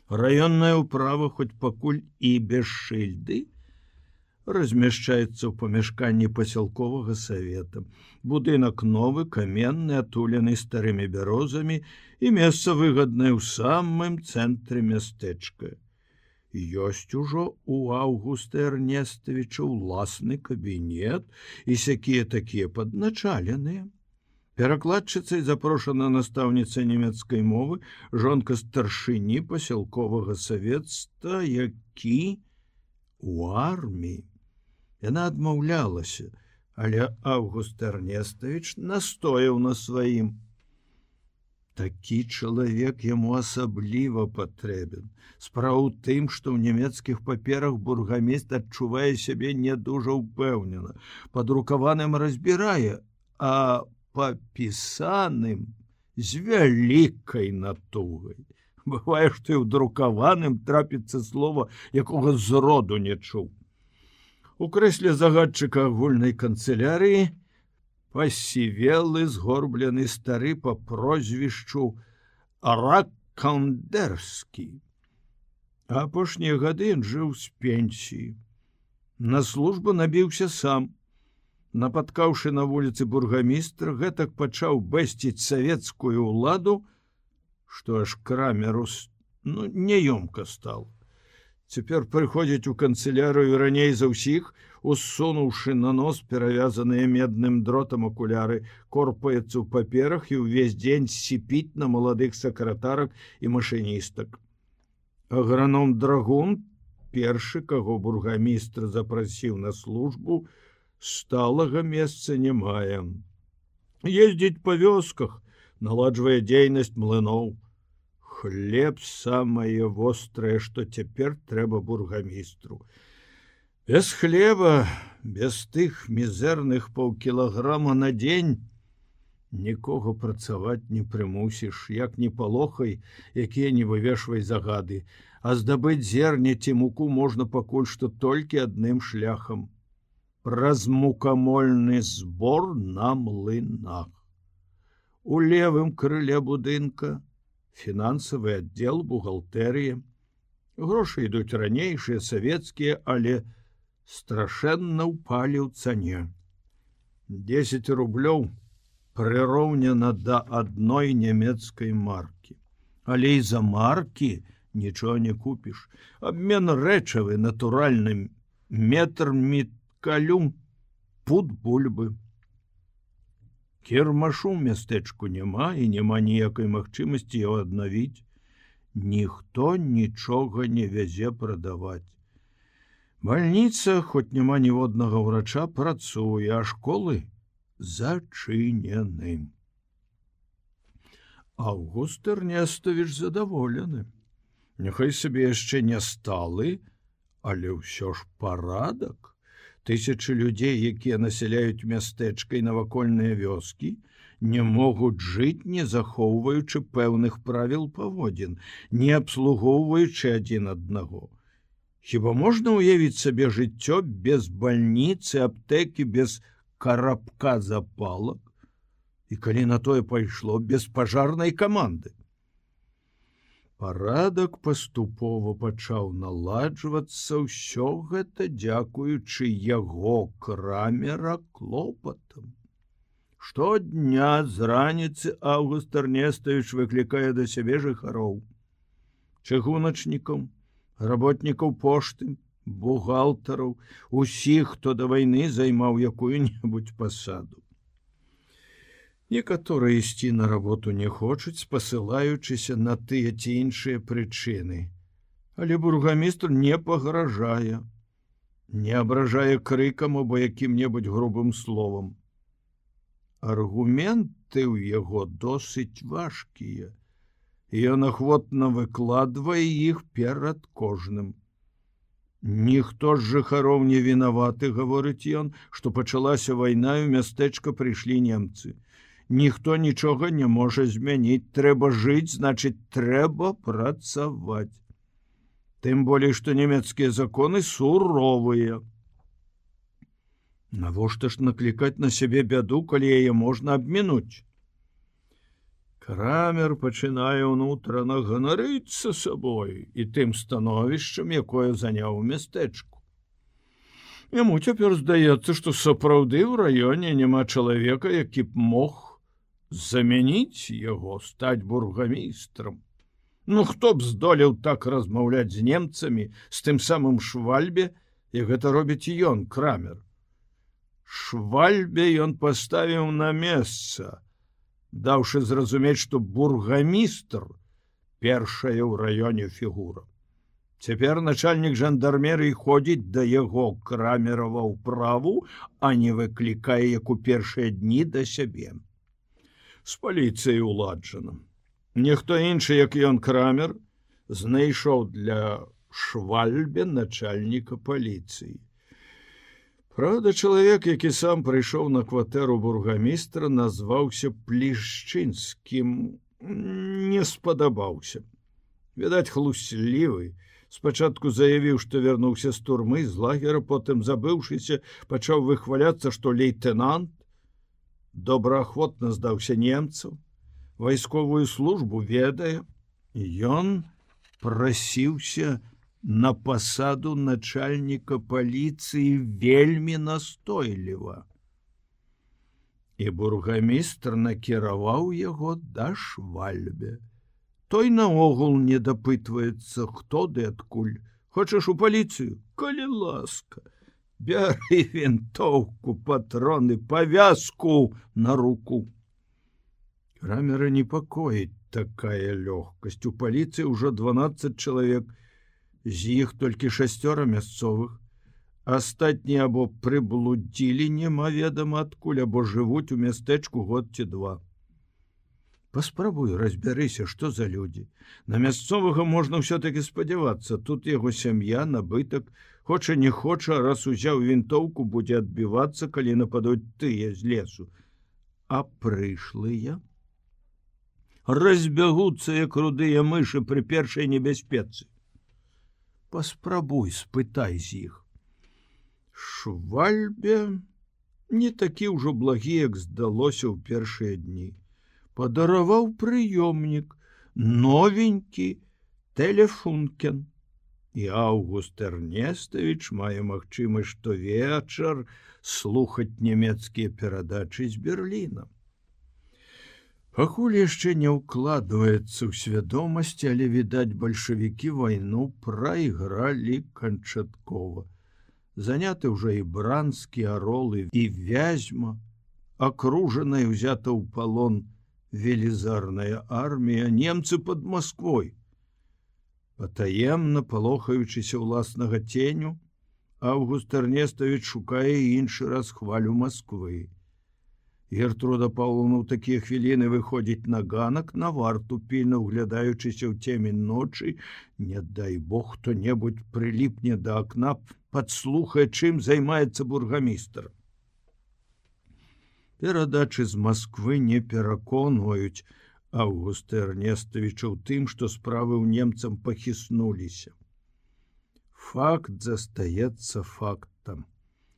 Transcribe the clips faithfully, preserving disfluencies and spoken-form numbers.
Раённая ўправа, хоць пакуль і без шыльды, размяшчаецца ў памяшканні пасялковага савета. Будынак новы, каменны, атулены старымі бярозамі і месца выгаднае ў самым цэнтры мястэчка. Ёсць ужо у Аўгуста Эрнестовича ўласны кабінет і сякія такія падначаленыя. Перакладчыцай запрошана настаўніца нямецкай мовы, жонка старшыні пасялковага савецтва, які у арміі. Яна адмаўлялася, але Аўгуст Эрнестович настояў на сваім. Такі чалавек яму асабліва патрэбен. Справа ў тым, што ў нямецкіх паперах бургамістр адчувае сябе не дужа ўпэўнена. Падрукаваным разбірае, а папісаным з вялікай натугай. Бывае, што і ў друкаваным трапіцца слова, якога зроду не чуў. У крэсле загадчыка агульнай канцылярыі пасівелы згорблены стары па прозвішчу Раккандерскі. Апошнія гады ён жыў з пенсіі. На службу набіўся сам. Напаткаўшы на вуліцы бургамістра, гэтак пачаў бэсціць савецкую ўладу, што аж крамеру ну, няёмка стал. Цяпер прыходзіць у канцылярыю раней за ўсіх, усунуўшы на нос перавязаныя медным дротам акуляры, корпаецца ў паперах і ўвесь дзень сіпіць на маладых сакратарак і машыністак. Аграном Драгун, першы, каго бургамістр запрасіў на службу, сталага месца не мае. Ездзіць па вёсках, наладжвае дзейнасць млыноў. Хлеб самае вострае, што цяпер трэба бургамістру. Без хлеба, без тых мізэрных паўкілаграма на дзень нікога працаваць не прымусіш, як не палохай, якія не вывешвай загады, а здабыць зерне ці муку можна пакуль што толькі адным шляхам. Праз мукамольны збор на млынах. У левым крыле будынка фінансавы аддзел, бухгалтэрія. Грошы ідуць ранейшыя, савецкія, але страшэнна ўпалі ў цане. дзесяць рублёў прыроўнена да адной нямецкай маркі. Але і за маркі нічога не купіш. Абмен рэчавы натуральным, метр міткалю, пуд бульбы. Кірмашу ў мястэчку няма і няма ніякай магчымасці яго аднавіць. Ніхто нічога не вязе прадаваць. Бальніца, хоць няма ніводнага ўрача, працуе, а школы зачынены. Аўгуст Эрнестович задаволены. Няхай сабе яшчэ не сталы, але ўсё ж парадак. Тысячы людзей, якія насяляюць мястэчка і навакольныя вёскі, не могуць жыць, не захоўваючы пэўных правіл паводзін, не абслугоўваючы адзін аднаго. Хіба можна ўявіць сабе жыццё без бальніцы, аптэкі, без карабка запалак? І калі на тое пайшло, без пажарнай каманды? Парадак паступова пачаў наладжвацца, ўсё гэта дзякуючы яго крамера клопатам. Штодня з раніцы Аўгуст Эрнестович выклікае да сябе жыхароў, чыгуначнікаў, работнікаў пошты, бухгалтараў, усіх, хто да вайны займаў якую-небудзь пасаду. Некаторыя ісці на работу не хочуць, спасылаючыся на тыя ці іншыя прычыны. Але бургамістр не пагражае, не абражае крыкам або якім-небудзь грубым словам. Аргументы ў яго досыць важкія, і ён ахвотна выкладвае іх перад кожным. Ніхто з жыхароў не вінаваты, гаворыць ён, што пачалася вайна і ў мястэчка прыйшлі немцы. Ніхто нічога не можа змяніць, трэба жыць, значыць, трэба працаваць. Тым болей, што нямецкія законы суровыя. Навошта ж наклікаць на сябе бяду, калі яе можна абмінуць? Крамер пачынае ўнутрана ганарыцца сабой і тым становішчам, якое заняў у мястэчку. Яму цяпер здаецца, што сапраўды ў раёне няма чалавека, які б мог замяніць яго, стаць бургамістрам. Ну хто б здолеў так размаўляць з немцамі, з тым самым Швальбе, і гэта робіць ён, Крамер. Швальбе ён паставіў на месца, даўшы зразумець, што бургамістр першая ў раёне фігура. Цяпер начальнік жандармерыі ходзіць да яго, Крамерава, ўправу, а не выклікае, як у першыя дні, да сябе. З паліцыяй уладжана. Ніхто іншы, як ён, Крамер, знайшоў для Швальбе начальніка паліцыі. Праўда, чалавек, які сам прыйшоў на кватэру бургамістра, назваўся Плішчынскім, не спадабаўся. Відаць, хлуслівы. Спачатку заявіў, што вярнуўся з турмы, з лагера, потым, забыўшыся, пачаў выхваляцца, што лейтенант добраахвотна здаўся немцам, вайсковую службу ведае. Ён прасіўся на пасаду начальніка паліцыі вельмі настойліва. І бургамістр накіраваў яго да Швальбе. Той наогул не дапытваецца, хто ды адкуль. Хочаш у паліцыю? Калі ласка. Бяры вінтоўку, патроны, павязку на руку. Крамера непакоіць такая лёгкасць. У паліцыі ўжо дванаццаць чалавек, з іх толькі шасцёра мясцовых. Астатнія або прыблудзілі немаведама адкуль, або жывуць у мястэчку год ці два. Паспрабуй, разбярыся, што за людзі. На мясцовага можна ўсё-такі спадзявацца. Тут яго сям'я, набытак, хоча не хоча, раз узяў вінтоўку, будзе адбівацца, калі нападуць тыя з лесу. А прышлыя разбягуцца, як рудыя мышы пры першай небяспецы. Паспрабуй, спытай з іх. Швальбе не такі ўжо благі, як здалося ў першыя дні. Падараваў прыёмнік, новенькі Телефункен. І Аўгуст Эрнестович мае магчымасць штовечар слухаць нямецкія перадачы з Берліна. Пакуль яшчэ не ўкладваецца ў свядомасць, але, відаць, бальшавікі вайну прайгралі канчаткова. Заняты ўжо і Бранскі, Арол і Вязьма, акружана і ўзята ў палон велізарная армія, немцы пад Масквой. Патаемна, палохаючыся ўласнага ценю, Аўгуст Эрнестович шукае іншы раз хвалю Масквы. Гертруда Паўловна ў такія хвіліны выходзіць на ганак, на варту, пільна ўглядаючыся ў цемень ночы. Не дай бог, хто-небудзь прыліпне да акна, падслухае, чым займаецца бургамістр. Перадачы з Масквы не пераконваюць Аўгуста Эрнестовича ў тым, што справы ў немцам пахіснуліся. Факт застаецца фактам.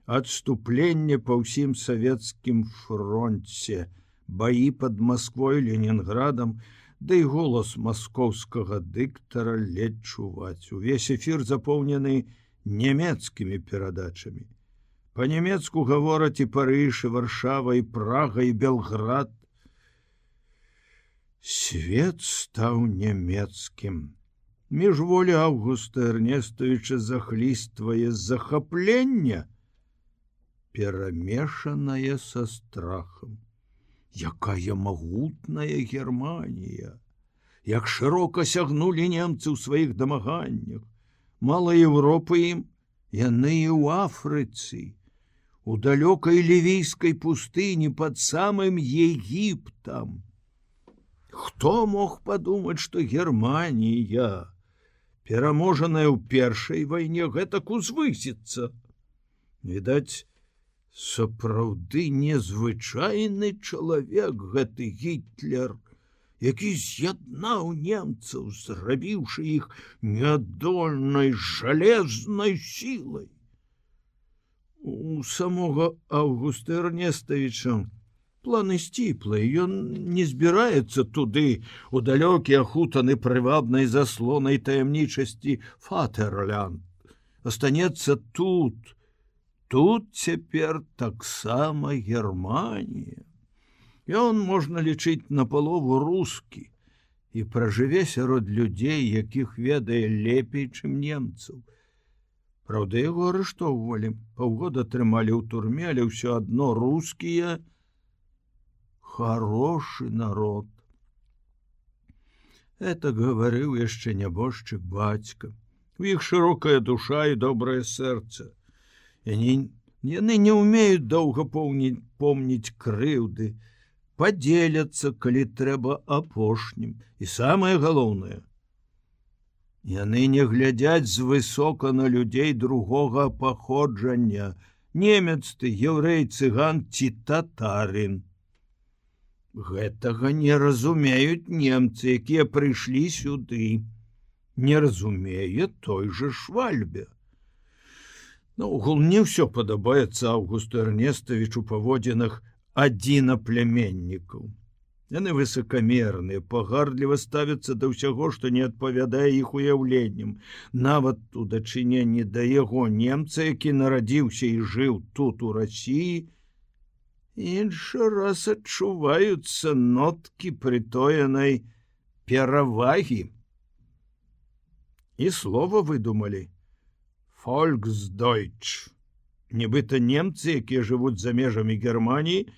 Адступленне па ўсім савецкім фронце, баі пад Масквой, Ленінградам, да і голас маскоўскага дыктара ледзь чуваць. Увесь эфір запоўнены нямецкімі перадачамі. Па-нямецку гавораць і Парыж, і Варшава, і Прага, і Белград. Свет стаў нямецкім. Міжволі Аўгуста Эрнестовича захліствае захаплення, перамешаная са страхам. Якая магутная Германія! Як шырока сягнулі немцы ў сваіх дамаганнях! Мала Еўропы ім, яны і ў Афрыцы, у далёкай лівійскай пустыні пад самым Егіптам. Хто мог падумаць, што Германія, пераможаная ў першай вайне, гэтак узвысіцца? Відаць, сапраўды незвычайны чалавек гэты Гітлер, які з'яднаў немцаў, зрабіўшы іх нядольнай жалезнай сілай. У самога Аўгуста Эрнестовича Планы сціплыя, ён не збіраецца туды, у далёкі ахутаны прывабнай заслонай таямнічасці Фатерлянд. Астанецца тут. Тут цяпер таксама Германія. Ён, можна лічыць, напалову рускі і пражыве сярод людзей, якіх ведае лепей, чым немцаў. Праўда, яго арыштоўвалі, паўгода трымалі ў турме, але ўсё адно рускія хорошы народ. Это гаварыў яшчэ нябожчык бацька. У іх шырокая душа і добрае сэрца. Яны, яны не ўмеюць доўга помніць, помніць крыўды, падзеляцца, калі трэба апошнім. І самае галоўнае, яны не глядзяць звысока на людзей другога паходжання, немец ты, яўрэй, цыган ці татарын. Гэтага не разумеюць немцы, якія прыйшлі сюды. Не разумее той же Швальбе. Наогул не ўсё падабаецца Аўгусту Эрнестовичу паводзінах адзінапляменнікаў. Яны высокамерныя, пагардліва ставяцца да ўсяго, што не адпавядае іх уяўленням. Нават у дачыненні да яго немца, які нарадзіўся і жыў тут у Расіі, іншы раз адчуваюцца ноткі прытоенай перавагі. І слова выдумалі «Volksdeutsch». Нібыта немцы, якія жывуць за межамі Германіі,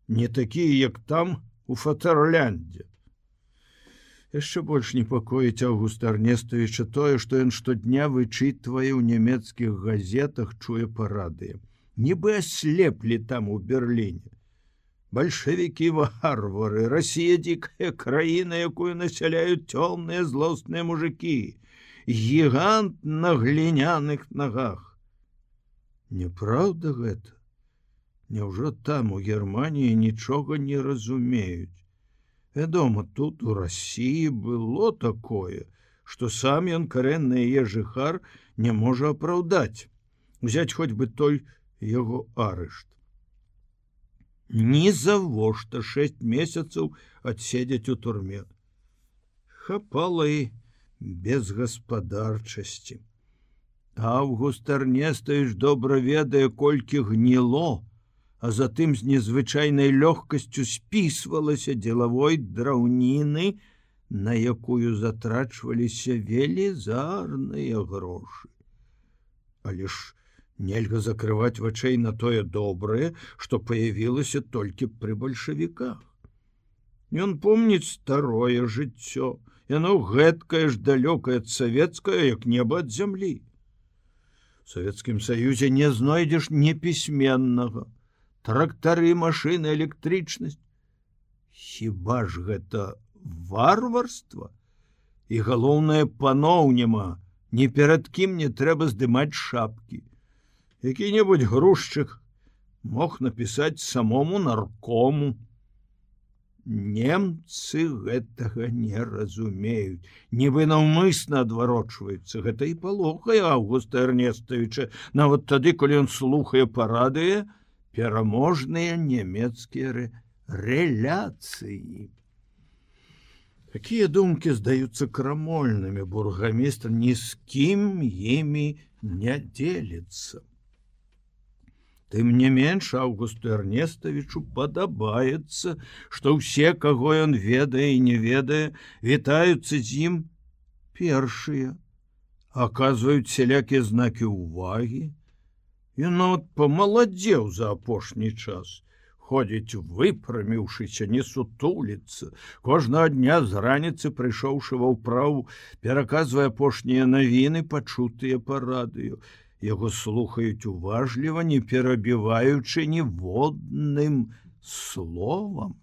не такія, як там, у Фатерляндзе. Яшчэ больш непакоіць Аўгуста Эрнестовича тое, што ён штодня вычытвае ў нямецкіх газетах, чуе па радыё. Нібы аслеплі там у Берліне. Бальшавікі варвары, Расія дзікая краіна, якую насяляюць цёмныя злосныя мужыкі, гігант на гліняных нагах. Няпраўда гэта? Няўжо там у Германіі нічога не разумеюць? Вядома, тут у Расіі было такое, што сам ён карэнны яе жыхар не можа апраўдаць, узяць хоць бы той яго арышт. Ні завошта шэсць месяцаў адседзяць у турме. Хапала і безгаспадарчасці. Аўгуст Эрнестович добра ведае, колькі гніло, а затым з незвычайнай лёгкасцю спісвалася дзелавой драўніны, на якую затрачваліся велізарныя грошы. Але ж нельга закрываць вачэй на тое добрае, што паявілася толькі пры бальшавіках. Ён помніць старое жыццё, яно гэткае ж далёкае ад савецкае, як неба ад зямлі. У Савецкім Саюзе не знойдзеш непісьменнага, трактары, машыны, электрычнасць. Хіба ж гэта варварства? І галоўнае, паноў няма, ні перад кім не трэба здымаць шапкі. Які-небудзь грузчык мог напісаць самому наркому. Немцы гэтага не разумеюць, нібы наўмысна адварочваюцца. Гэта і палохае Аўгуста Эрнестовича, нават тады, калі ён слухае па радыё пераможныя нямецкія рэляцыі. Такія думкі здаюцца крамольнымі, бургамістр ні з кім імі не дзеліцца. Тым не менш, Аўгусту Эрнестовичу падабаецца, што ўсе, каго ён ведае і не ведае, вітаюцца з ім першыя, аказваюць сялякія знакі ўвагі. Ён нават памаладзеў за апошні час, ходзіць выпраміўшыся, не сутуліцца. Кожнага дня з раніцы, прыйшоўшы ва ўправу, пераказвае апошнія навіны, пачутыя па радыё. Яго слухаюць уважліва, не перабіваючы ніводным словам.